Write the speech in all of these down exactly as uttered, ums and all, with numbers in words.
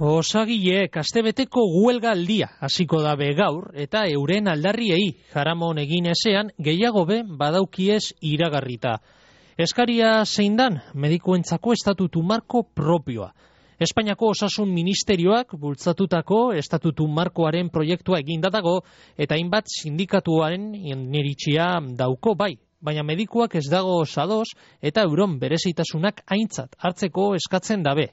Osagileek astebeteko huelga aldia hasiko dabe gaur eta euren aldarriei jaramon egin ezean gehiago be badaukiez iragarrita. Eskaria zein dan medikuentzako estatutu marko propioa. Espainiako Osasun Ministerioak bultzatutako estatutu markoaren proiektua egindatago eta hainbat sindikatuaren iniritsia dauko bai, baina medikuak ez dago sadoz eta euron berezitasunak aintzat hartzeko eskatzen dabe.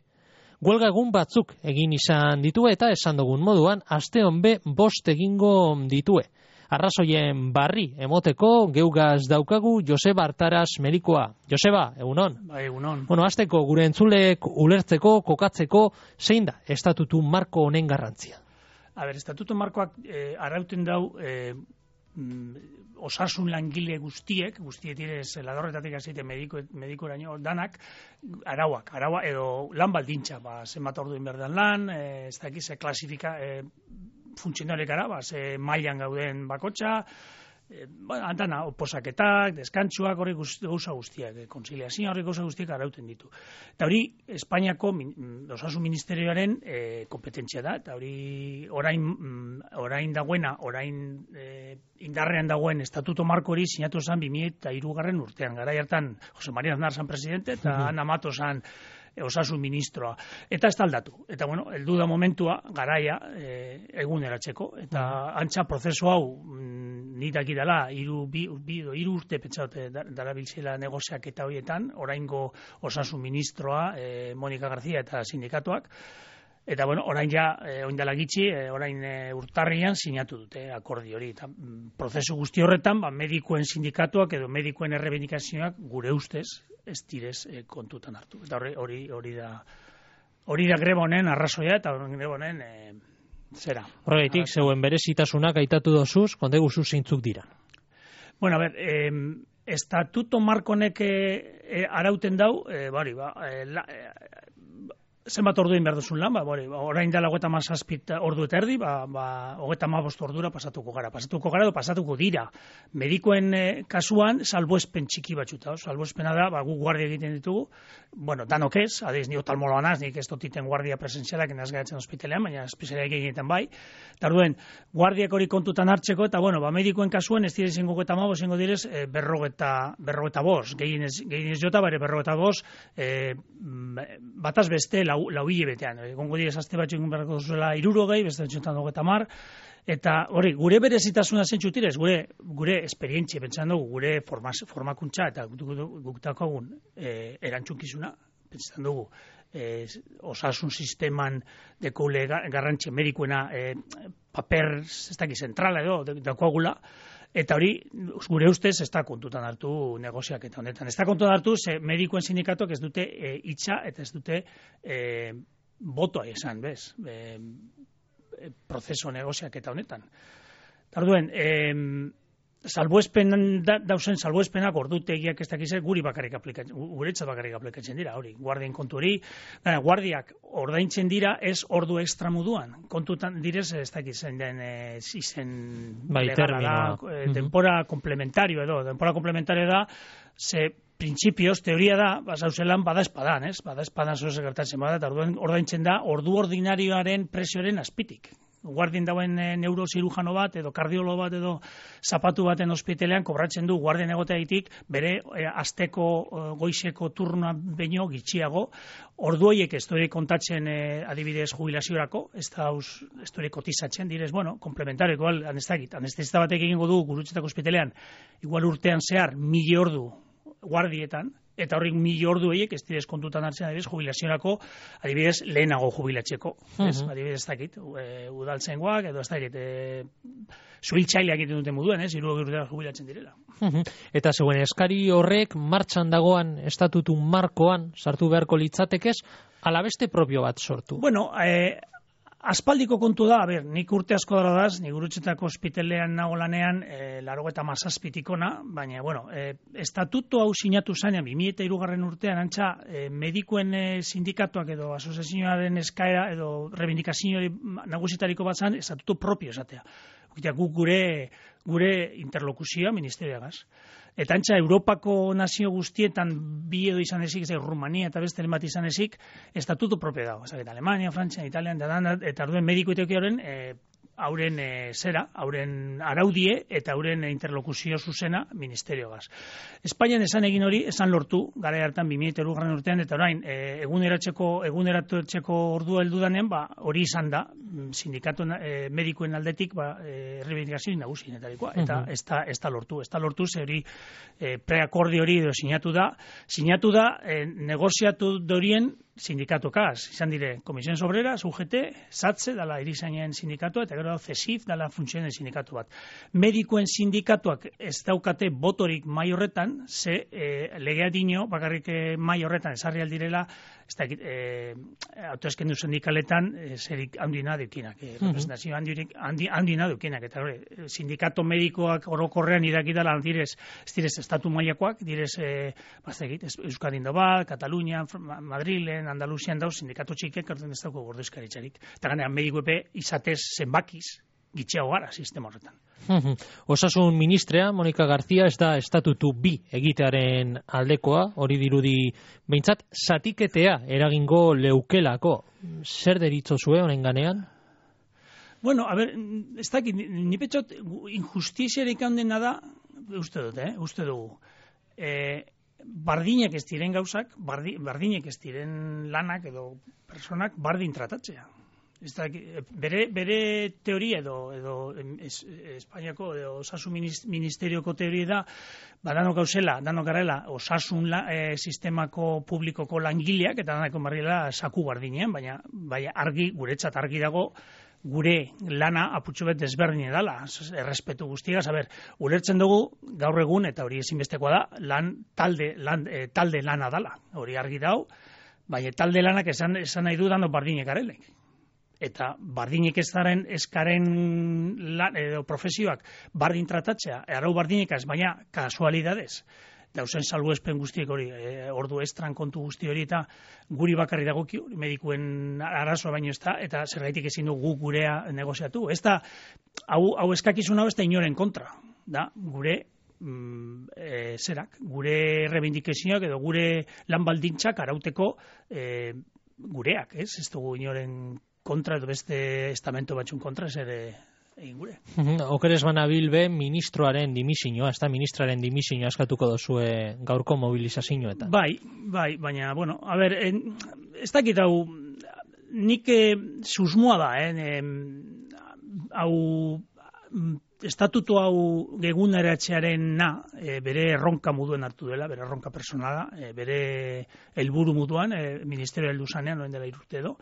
Huelga egun batzuk egin izan ditue eta esan dugun moduan aste honbe bost egingo ditue. Arrazoien barri emoteko geugaz daukagu Joseba Artaras medikoa. Joseba, egunon. Ba, egunon. Bueno, hasteko gure entzulek ulertzeko, kokatzeko, zein da estatutu marko honen garrantzia? A ber, estatutu markoak eh, arauten dau eh, osasun langile guztiek, guztiek direz ladorretatik hasite mediko medikoraino danak arauak, araua edo lan baldintza, ba zenbat ordu egin behar den lan, eh, ez dakiz ze klasifika eh, funtzionalekara, ba ze mailan gauden bakotxa, eh, bueno, antana oposaketak, deskantsuak, hori gauza guztiak, eh, kontziliazioa hori gauza guztiak arauten ditu. Eta hori Espainiako min, Osasun Ministerioaren eh, kompetentzia da, eta hori orain orain dagoena, orain eh, indarrean dagoen estatuto marko hori sinatu zen bi mila hirugarren urtean. Garai hartan Jose María Aznar zan presidente eta uh-huh. Ana Mato zan Osasun ministroa. Eta ez taldatu. Eta bueno, heldu da momentua garaia e, eguneratzeko. Eta uh-huh. antza prozesu hau mm, ni dakidala hiru bi, bi hiru urte pentsaute darabiltzela negoziak eta horietan, oraingo Osasun ministroa e, Monika García eta sindikatuak. Eta bueno, orain ja, eh, orain dela gitxi, eh, orain eh, urtarrian sinatu dute akordio hori. Eta mm, prozesu guzti horretan, ba, medikuen sindikatuak edo medikuen errebendikazioak gure ustez ez direz eh, kontutan hartu. Eta hori hori hori da hori da greba honen arrazoia eta greba honen eh, zera. Horregatik, zeuen berezitasunak aitatu dozuz, konde guzu zeintzuk dira. Bueno, a ver, eh, estatuto marko honek eh, arauten dau, eh, bari, ba, eh, la, eh, zenbat ordu egin behar duzun lan, ba, bori, ba, orain dela hogeita hamazazpi ordu eta erdi, ba, ba, hogeita hamabost ordura pasatuko gara. Pasatuko gara edo pasatuko dira. Medikoen eh, kasuan, salbuespen txiki batxuta. Salbuespena da, ba, gu guardia egiten ditugu, bueno, danok ez, adeiz, ni otalmoloa naz, nik ez dotiten guardia presentzialak enaz gaitzen ospitalean, baina espezialak egiten bai. Eta orduen, guardiak hori kontutan hartzeko, eta bueno, ba, medikoen kasuan, ez dira izango hogeita hamabost, izango direz, eh, berrogeta, berrogeta bost, gehienez, gehienez jota, bare berrogeta bost, eh, bataz beste, lau, lau hilebetean. Egongo direz azte batxo egun beharko duzuela irurogei, beste batxotan hogeita hamar, eta hori, gure berezitasuna zentzutirez, gure, gure esperientzia, pentsan dugu, gure formaz, formakuntza, eta guktako egun e, erantzunkizuna, pentsan dugu, e, osasun sisteman dekule garrantzia medikuena e, paper, ez daki, zentrala edo, dakoagula, eta hori, gure ustez, ez da kontutan hartu negoziak eta honetan. Ez da kontutan hartu, ze medikuen sindikatuak ez dute e, hitza eta ez dute e, botoa esan, bez? E, e, prozeso negoziak eta honetan. Tarduen, e, salbuespen da, dausen salbuespenak ordutegiak ez dakize guri bakarrik aplikatzen, guretzat bakarrik aplikatzen dira, hori, guardien kontu hori, dara, guardiak ordaintzen dira ez ordu ekstra moduan, kontutan direz ez dakizen den e, izen bai, legala da, e, denpora uh-huh. komplementario edo, denpora komplementario da, ze printzipioz, teoria da, bazauzelan bada espadan, ez? Bada espadan zoze gertatzen bada, eta ordaintzen da ordu ordinarioaren presioaren azpitik. Guardien dauen e, neurozirujano bat, edo kardiolo bat, edo zapatu baten ospitalean kobratzen du guardien egoteaitik bere e, asteko e, goizeko turnoa baino gitxiago. Ordu horiek ez dure kontatzen e, adibidez jubilaziorako, ez da ez dure kotizatzen, direz, bueno, komplementario, igual, anestakit, anestesista batek egingo du gurutzetako ospitalean, igual urtean zehar, mili ordu guardietan, eta horrik mili ordu horiek ez direz kontutan hartzen adibidez jubilaziorako, adibidez lehenago jubilatzeko, uh-huh. ez, adibidez ez dakit, e, udaltzengoak, edo ez dakit, e, zuhiltzaileak egiten duten moduan, ez, hirurogei urtera jubilatzen direla. Uh-huh. Eta zeuen eskari horrek martxan dagoan estatutu markoan sartu beharko litzatekez, ala beste propio bat sortu? Bueno, e, aspaldiko kontu da, a ber, nik urte asko dara daz, nik Gurutzetako ospitalean nago lanean, e, laurogeita hamazazpitikona, baina, bueno, e, estatuto hau sinatu zanean, bi mila hirugarren urtean, antza, e, medikuen e, sindikatuak edo asoziazioaren eskaera edo rebindikazio nagusitariko bat zan, estatuto propio esatea. Gu gure, gure interlokuzioa ministerioagaz. Eta antza, Europako nazio guztietan bi edo izan ezik, ez Rumania eta beste bat izan ezik, estatuto propio dago. Eta Alemania, Frantzia, Italian, eta orduen mediko iteoki horren, e, hauren e, zera, hauren araudie eta hauren interlokuzio zuzena ministeriogaz. Espainian esan egin hori, esan lortu, gara hartan bi mila hirugarren urtean, eta orain, e, eguneratzeko, eguneratzeko ordua heldu danean, ba, hori izan da, sindikatu e, medikoen aldetik, ba, e, errebindikazio nagusienetarikoa, eta ez da, ez da lortu, ez da lortu, ze hori e, preakordi hori edo sinatu da, sinatu da, e, negoziatu dorien sindikatokaz, izan dire, Komisiones Obreras, U G T, SATSE, dala erizainen sindikatua, eta gero CESIF, dala funtzionen sindikatu bat. Medikoen sindikatuak ez daukate botorik mai horretan, ze e, legea dino, bakarrik e, mai horretan esarri aldirela, ez da, e, autoeskendu sindikaletan e, zerik handina dukinak, e, representazio handirik, handi, handina dukinak, eta hori, sindikato medikoak orokorrean irakidala, direz, ez direz, estatu mailakoak, direz, e, baztegit, Euskadin dobat, Katalunia, Madrilen, Andaluzian dauz, sindikato txikek, hartzen ez dauko gordezkaritzarik. Eta ganean, mediko epe izatez zenbakiz, gitxeago gara sistema horretan. Osasun ministrea, Monika Garzia, ez da estatutu bi egitearen aldekoa, hori dirudi behintzat, zatiketea eragingo leukelako. Zer deritzo zue honen ganean? Bueno, a ber, ez dakit, ni petxot, injustiziarik handena da, uste dut, eh, uste dugu. Eh, bardinek ez diren gauzak, bardi, bardinek ez diren lanak edo personak bardin tratatzea. Ez da, bere, bere teoria edo, edo es, Espainiako edo osasun ministerioko teoria da, ba danok gauzela, danok garela osasun la, e, sistemako publikoko langileak, eta danako marriela saku bardinean, baina, baina argi, guretzat argi dago, gure lana aputxo bet desberdin edala, errespetu guztiagaz, a ber, ulertzen dugu gaur egun, eta hori ezinbestekoa da, lan talde, lan, e, talde lana dala, hori argi dau, baina talde lanak esan, esan nahi du dano bardinek arelek. Eta bardinek ez daren eskaren lan, edo profesioak bardin tratatzea, arau bardinek ez, baina kasualidadez, dauzen salbuespen guztiek hori, e, ordu estran kontu guzti hori, eta guri bakarri dagokio, medikuen arazoa baino ez da, eta zergaitik ezin du gu gurea negoziatu. Ez da, hau, hau eskakizun hau ez da inoren kontra, da, gure mm, e, zerak, gure rebindikazioak edo gure lan baldintzak arauteko e, gureak, ez? Ez dugu inoren kontra edo beste estamento batxun kontra ez ere egin gure. Okeres banabil be ministroaren dimisioa, ez da ministraren dimisioa eskatuko dozue gaurko mobilizazioetan. Bai, bai, baina, bueno, a ber, en, ez dakit hau, nik eh, susmoa da, eh, hau, estatutu hau geguneratzearen na, e, bere erronka moduen hartu dela, bere erronka personala, e, bere helburu moduan, e, ministerio heldu zanean, noen dela irurte edo,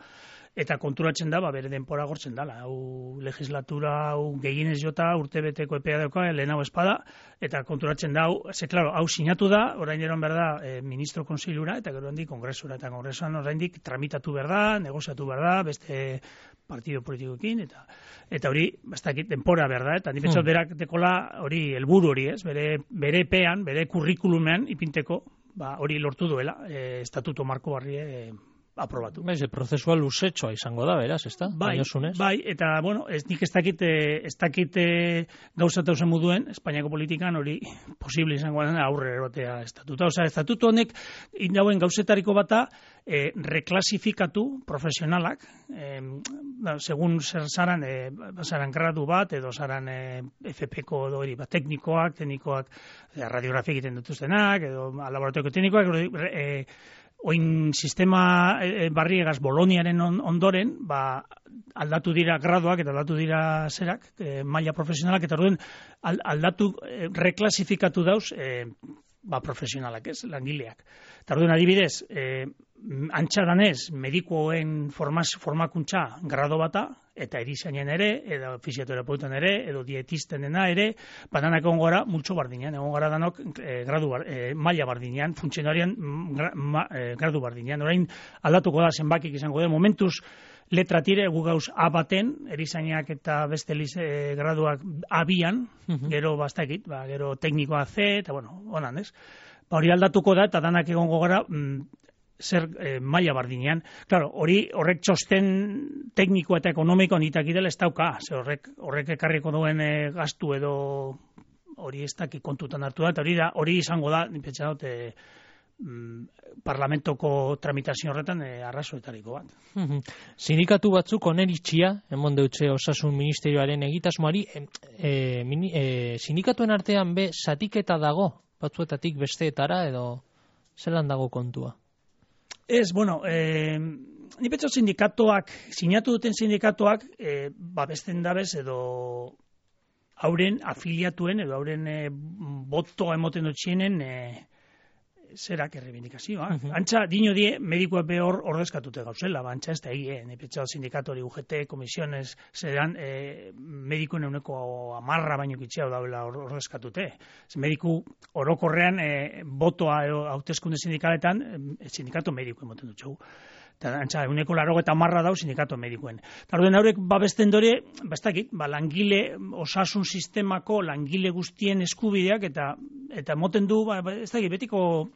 eta konturatzen da, ba, bere denpora gortzen dala. Hau legislatura, hau gehienez jota, urtebeteko epea dauka, lehen hau espada, eta konturatzen da, hau, ze, klaro, hau sinatu da, orain eron behar da, e, ministro konseilura, eta gero handik kongresura, eta kongresuan orain dik tramitatu behar da, negoziatu behar da, beste partido politikoekin, eta eta hori, bastakit, denpora behar da, eta nipetxot hmm. berak dekola hori, helburu hori, ez, bere, bere pean, bere kurrikulumean, ipinteko, ba, hori lortu duela, e, estatuto marko barri, e, aprobatu. Baiz, prozesua luzetxoa izango da, beraz, ez da? Bai, bai, eta, bueno, ez nik ez dakit, ez dakit gauzat hausen moduen, Espainiako politikan hori posible izango da aurre erotea estatuta. Osa, estatuto honek, indauen gauzetariko bata, eh, reklasifikatu profesionalak, eh, da, segun zer zaran, eh, zaran gradu bat, edo zaran eh, F P-ko edo hori, ba, teknikoak, teknikoak, eh, radiografia egiten dituztenak, edo laboratorioko teknikoak, eh, oin sistema e, barriegaz Boloniaren on, ondoren, ba, aldatu dira graduak eta aldatu dira zerak, e, maila profesionalak, eta orduen aldatu, e, reklasifikatu dauz, e, ba, profesionalak, ez, langileak. Eta orduen adibidez, e, antxadanez, medikoen formaz, formakuntza grado bata, eta erizainen ere, edo fisioterapeutan ere, edo dietistenena ere, badanak egon gara multxo bardinean, egon gara danok e, gradu bar, e, maila bardinean, funtzionarian gra, ma, e, gradu bardinean. Orain aldatuko da zenbakik izango da, momentuz letra tire, gu gauz A baten, erizainak eta beste lize, e, graduak abian, uh-huh. gero bastakit, ba, gero teknikoa C, eta bueno, honan ez. Ba, hori aldatuko da, eta danak egongo gara, mm, zer eh, maila bardinean. Claro, hori horrek txosten tekniko eta ekonomiko nitak idela ez dauka, ze horrek, horrek ekarriko duen eh, gastu edo hori ez daki kontutan hartu da, eta hori da, hori izango da, nipetxa dut, e, parlamentoko tramitazio horretan e, arrazoetariko bat. Sindikatu batzuk oneritxia, emon deutxe osasun ministerioaren egitasmoari, e, e, mini, e, sindikatuen artean be zatiketa dago, batzuetatik besteetara, edo zelan dago kontua? Ez, bueno, e, ni petxo sindikatuak, sinatu duten sindikatuak, e, babesten dabez edo hauren afiliatuen, edo hauren e, botoa emoten dutxienen, e, zerak errebindikazioa. Uh -huh. Antza, dino die, medikoa behor ordezkatute gauzela, ba, antza ez da egi, eh? Nepetxal sindikatori U G T, komisiones, zeran, eh, medikoen euneko amarra baino kitxea daula ordezkatute. Mediku orokorrean, eh, botoa hauteskunde sindikaletan, eh, sindikato mediko emoten dutxegu. Eta, antza, euneko laro eta marra dau sindikato medikoen. Eta orduen haurek babesten dore, bastakit, ba, langile, osasun sistemako langile guztien eskubideak, eta eta moten du, ba, ez dakit, betiko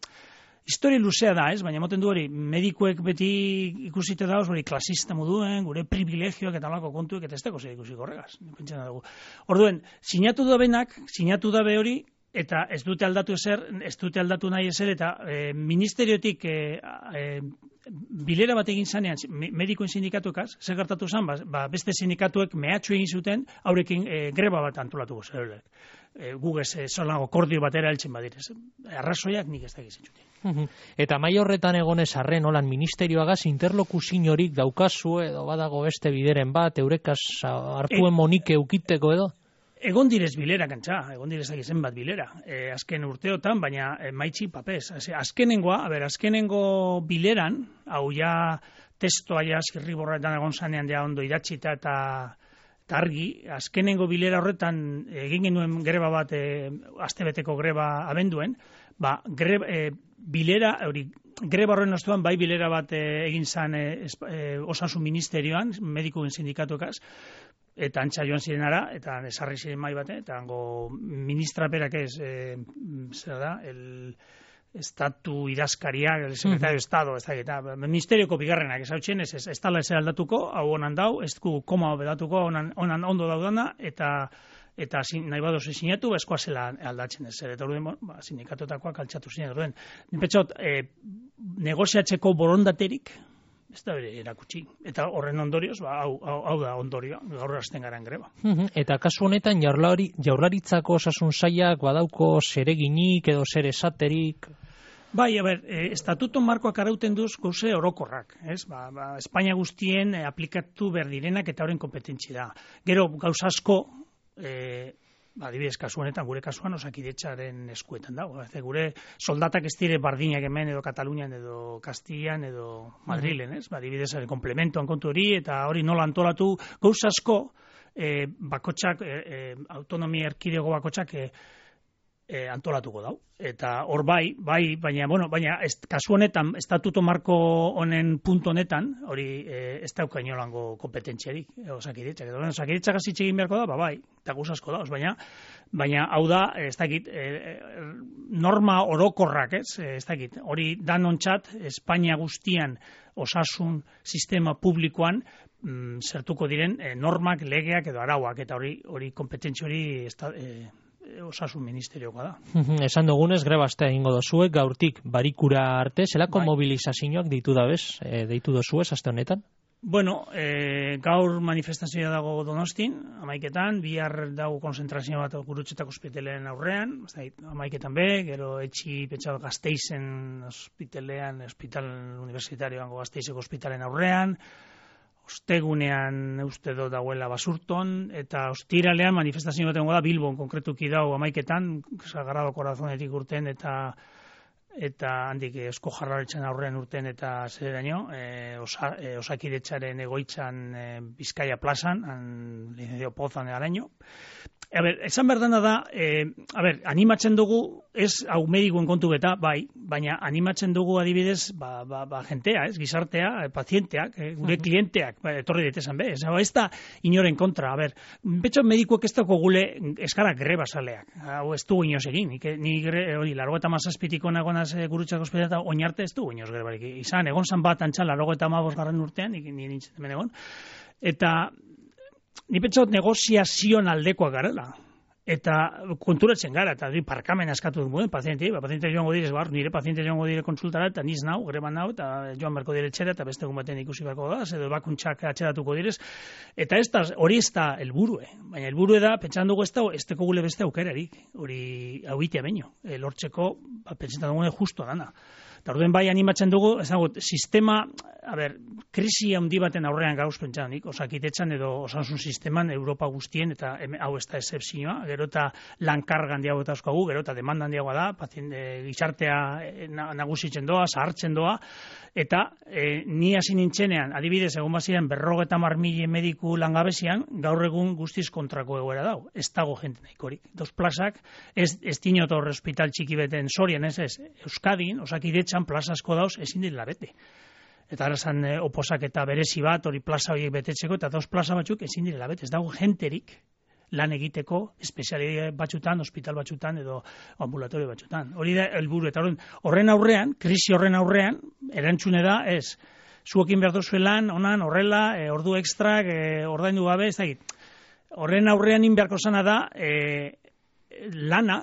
historia luzea da, ez? Baina moten du hori, medikuek beti ikusite dauz, hori klasista moduen, gure privilegioak eta alako kontuek, eta ez dago zer ikusik horregaz. Orduen, sinatu da benak, sinatu da be hori, eta ez dute aldatu ezer, ez dute aldatu nahi ezer, eta e, ministeriotik e, e, bilera bat egin zanean, medikoen sindikatuekaz, zer gertatu zen, ba, ba, beste sindikatuek mehatxu egin zuten, haurekin e, greba bat antolatuko zerelek. E, gugez, e, zolago kordio batera heltzen badirez. Arrazoiak nik ez da gizentzuten. Eta mai horretan egonez arren, holan ministerioagaz interlokuzinorik daukazu, edo badago beste bideren bat, eurekaz hartuen e, monike eukiteko edo? Egon direz bilera, kantza, egon direz zen bat bilera, e, azken urteotan, baina e, maitxi papez. Azkenengoa, a ber, azkenengo bileran, hau ja testoa ja zirriborretan egon zanean ja ondo idatzita eta argi, azkenengo bilera horretan egin genuen greba bat, e, astebeteko greba abenduen, ba, greba, e, bilera, hori, greba horren ostuan, bai bilera bat e, egin zan e, e, osasun ministerioan, medikuen sindikatuekaz, eta antxa joan zirenara, eta esarri ziren mai bate, eta hango ministraperak ez, e, zer da, el estatu idazkariak, el secretario de Estado, ez da, eta ministerioko bigarrenak, ez hau txen, ez, ez, ez tala ez aldatuko, hau honan dau, ez du koma bedatuko, honan, honan ondo daudana, eta eta sin, nahi badoz sinatu, eskoa zela aldatzen ez, eta orduen, ba, sindikatotakoak altxatu ziren, orduen. Nipetxot, e, negoziatzeko borondaterik, ez da bere erakutsi. Eta horren ondorioz, ba, hau, hau, hau da ondorioa, gaur hasten garen greba. Eta kasu honetan jaurlari, jaurlaritzako osasun sailak badauko zereginik edo zer esaterik? Bai, a ber, e, estatuto markoak arauten duz gauze orokorrak, ez? Ba, ba, Espainia guztien e, aplikatu behar direnak eta horren kompetentzi da. Gero, gauza asko, e, ba, adibidez, kasu honetan, gure kasuan Osakidetzaren eskuetan dago. Gure soldatak ez dire bardinak hemen edo Katalunian edo Kastillan edo Madrilen, ez? Ba, adibidez, komplementoan kontu hori eta hori nola antolatu, gauza asko, e, bakotxak, e, e, autonomia erkidego bakotxak, e, E, antolatuko dau. Eta hor bai, bai, baina, bueno, baina ez, kasu honetan, estatuto marko honen puntu honetan, hori e, ez dauka inolango kompetentziarik, e, Osakidetzak. Osakidetzak azitxe egin beharko da, ba, bai, eta guzasko da, baina, baina hau da, ez dakit, e, norma orokorrak, ez, ez dakit, hori danontzat, Espainia guztian osasun sistema publikoan, mm, zertuko diren e, normak, legeak edo arauak, eta hori, hori kompetentzi hori ez da, e, osasun ministerioa da. Esan dugunez, grebaztea egingo dozuek, gaurtik barikura arte, zelako bai. Mobilizazioak deitu dabez, e, deitu dozuez, aste honetan? Bueno, e, gaur manifestazioa dago Donostin, amaiketan, bihar dago konzentrazio bat Gurutzetako ospitalean aurrean, amaiketan be, gero etxi pentsatu Gasteizen ospitalean, ospital universitarioan Gasteizeko ospitalean aurrean, ostegunean uste do dagoela Basurton, eta ostiralean manifestazio bat egongo da Bilbon, konkretuki dago amaiketan, Sagrado Corazonetik urten, eta eta handik Eusko Jaurlaritzan aurrean urten eta zeraino, e, osa, e, Osakidetzaren egoitzan e, Bizkaia plazan, Licencio Pozan araño. A ber, esan berdana da, e, a ber, animatzen dugu, ez hau medikuen kontu beta, bai, baina animatzen dugu adibidez, ba, ba, ba jentea, ez, gizartea, e, pazienteak, e, gure klienteak, ba, etorri ditezan be, ez, ez da inoren kontra, a ber, betxo medikuek ez dago gule eskara greba saleak, hau ez du inoz egin, ni hori, largo eta mazazpitiko nagonaz e, Gurutzako ospitalean eta oinarte ez du inoz grebarik izan, egon zan bat antxan largo eta amabos garren urtean, ni nintzen hemen egon, eta ni pentsot negoziazioan aldekoak garela. eta konturatzen gara, eta hori parkamen askatu duen pazientei, ba, paziente joango direz, bar, nire paziente joango dire konsultara, eta niz nau, greban nau, eta joan berko dire etxera, eta beste egun baten ikusi berko da, edo bakuntxak atxeratuko direz, eta ez da, hori ez da helburue, baina helburue da, pentsan dugu ez da, ez teko gule beste aukerarik, hori hau itea baino, e, lortzeko, ba, pentsan dugu justo dana. Eta orduen bai animatzen dugu, ezagut, sistema, a ber, krisi handi baten aurrean gauz pentsanik, osakitetxan edo osasun sisteman Europa guztien, eta em, hau ez da excepzioa, gero eta lankargan diago eta askoagu, gero eta demandan diagoa da, pazien, e, gizartea e, nagusitzen doa, zahartzen doa, eta e, ni hasi nintzenean, adibidez, egon baziren berrogeta mar mila mediku langabezian, gaur egun guztiz kontrako egoera dau, ez dago jente nahikorik. Dos plazak, ez, ez dinot horre hospital txiki beten Sorian, ez ez, Euskadin, osakidetzan plaza asko dauz, ezin dira bete. Eta ara zan e, oposak eta berezi bat, hori plaza horiek betetzeko, eta dos plaza batzuk ezin dira bete, ez dago jenterik lan egiteko, espezialidade batzutan, hospital batzutan, edo ambulatorio batzutan. Hori da helburu, eta horren aurrean, krisi horren aurrean, erantzune da, ez, zuekin behar dozue lan, onan, horrela, e, ordu ekstrak, e, ordaindu gabe, ez da, horren aurrean inbeharko zana da, e, lana,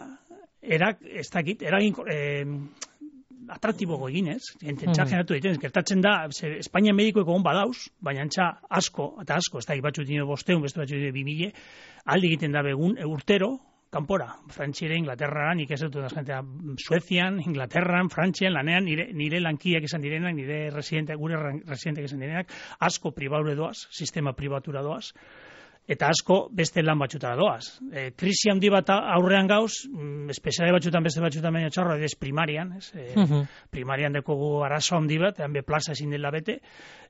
erak, ez dakit, eragin, e, atraktiboko eginez, entza generatu egiten, gertatzen da, ze, Espainia medikoeko hon badauz, baina antza asko, eta asko, ez da, batzu dino bosteun, beste batzu dino bimile, alde egiten da begun, urtero, kanpora, Frantziere, Inglaterra, nik ez dut da jentea, Suezian, Inglaterran, Frantzian, lanean, nire, nire lankiak esan direnak, nire residente, gure residenteak esan direnak, asko pribaure doaz, sistema pribatura doaz, eta asko beste lan batxutara doaz. E, krisi handi bat aurrean gauz, mm, espeziale batxutan, beste batxutan baino txarro, ez primarian, ez? E, uh-huh. Primarian dekogu arazo handi bat, ean be plaza ezin dela bete,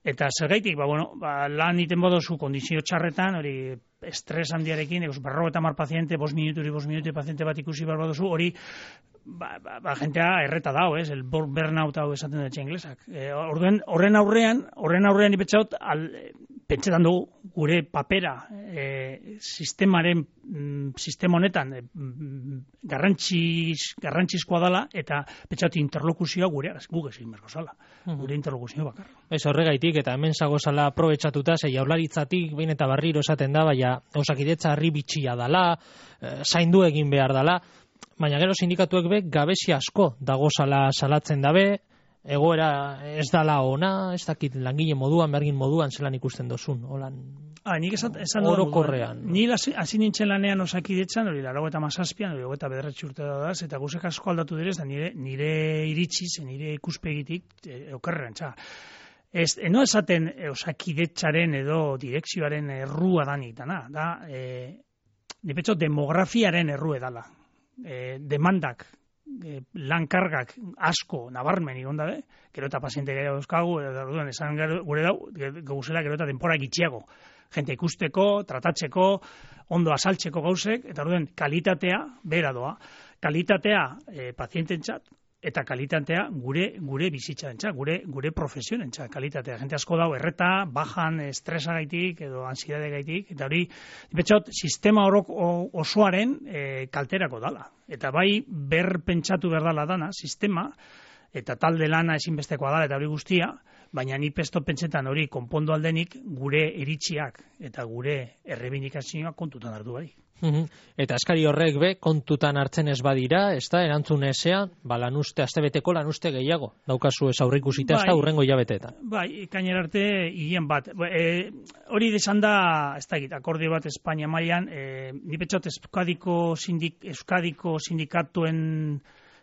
eta zergaitik, ba, bueno, ba, lan iten bodozu kondizio txarretan, hori estres handiarekin, egos, berro eta mar paziente, bos minuturi, bos minutu paziente bat ikusi behar bodozu, hori, ba, ba, ba, jentea erreta dau, ez? El burnout hau esaten dut inglesak. E, horren, horren aurrean, horren aurrean ipetxaut, al, pentsetan dugu, gure papera, e, sistemaren, mm, sistema honetan, e, garrantziz, garrantzizkoa dela, eta pentsatu interlokuzioa gure araz, guk ezin berko zala, gure interlokuzioa bakar. Ez horregaitik, eta hemen zagozala aprobetxatuta, ze jaurlaritzatik, behin eta barriro esaten da, baina osakidetza harri bitxia dala, e, zaindu egin behar dala, baina gero sindikatuek be, gabezi asko dagozala salatzen dabe, egoera ez dala ona, ez dakit langile moduan, bergin moduan, zelan ikusten dozun, holan ah, nik esan, esan orokorrean. Ni hasi nintzen lanean osakidetzan, hori laro eta mazazpian, hori eta bederatzi urte da daz, eta guzek asko aldatu direz, da nire, nire iritsiz, nire ikuspegitik, e, okerrean, txa. Ez, eno esaten e, osakidetzaren edo direkzioaren errua danik dana, da, e, nipetxo demografiaren errue dala, e, demandak, E, lankargak asko nabarmen igon dabe, gero eta paziente gara dauzkagu, eta esan gure dau, gauzela gero eta denpora gitxiago. Jente ikusteko, tratatzeko, ondo asaltzeko gauzek, eta orduen kalitatea bera doa. Kalitatea e, paziententzat, eta kalitatea gure gure bizitzarentzat, gure gure profesionentzat, kalitatea. Jente asko dau erreta, bajan estresagaitik edo ansiedadegaitik, eta hori betxot sistema orok osoaren e, kalterako dala. Eta bai ber pentsatu behar dala dana sistema eta talde lana ezinbestekoa dala eta hori guztia, baina ni pesto pentsetan hori konpondo aldenik gure iritziak eta gure errebindikazioak kontutan hartu bai. Uhum. Eta eskari horrek be, kontutan hartzen ez badira, ez da, erantzun ezean, ba, lanuste, astebeteko lanuste gehiago, daukazu ez aurreikusita, ez da, urrengo hilabeteetan. Bai, ikainer arte, hien bat. E, hori desan da, ez da, akordio bat Espainia mailan, e, nipetxot Euskadiko, sindik, Euskadiko sindikatuen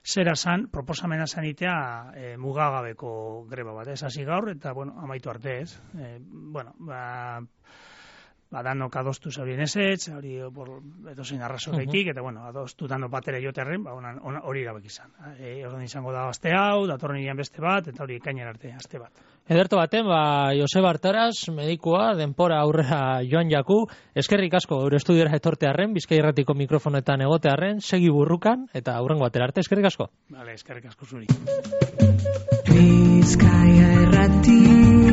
zera zan, proposamena zanitea e, mugagabeko greba bat, ez hasi gaur, eta, bueno, amaitu arte ez. E, bueno, ba... badanok adostu zaurien ezetz, hori edo zein arrazo gaitik, eta bueno, adostu dano batera joterren, ba, hori irabek izan. E, Ordan izango da aste hau, datorren iran beste bat, eta hori ekainen arte, aste bat. Ederto baten, ba, Joseba Artaraz, medikua, denpora aurrera joan jaku, eskerrik asko, eure estudiora etortearren, Bizkai Irratiko mikrofonetan egotearren, segi burrukan, eta aurrengo batera arte, eskerrik asko. Vale, eskerrik asko zuri. Bizkai Irrati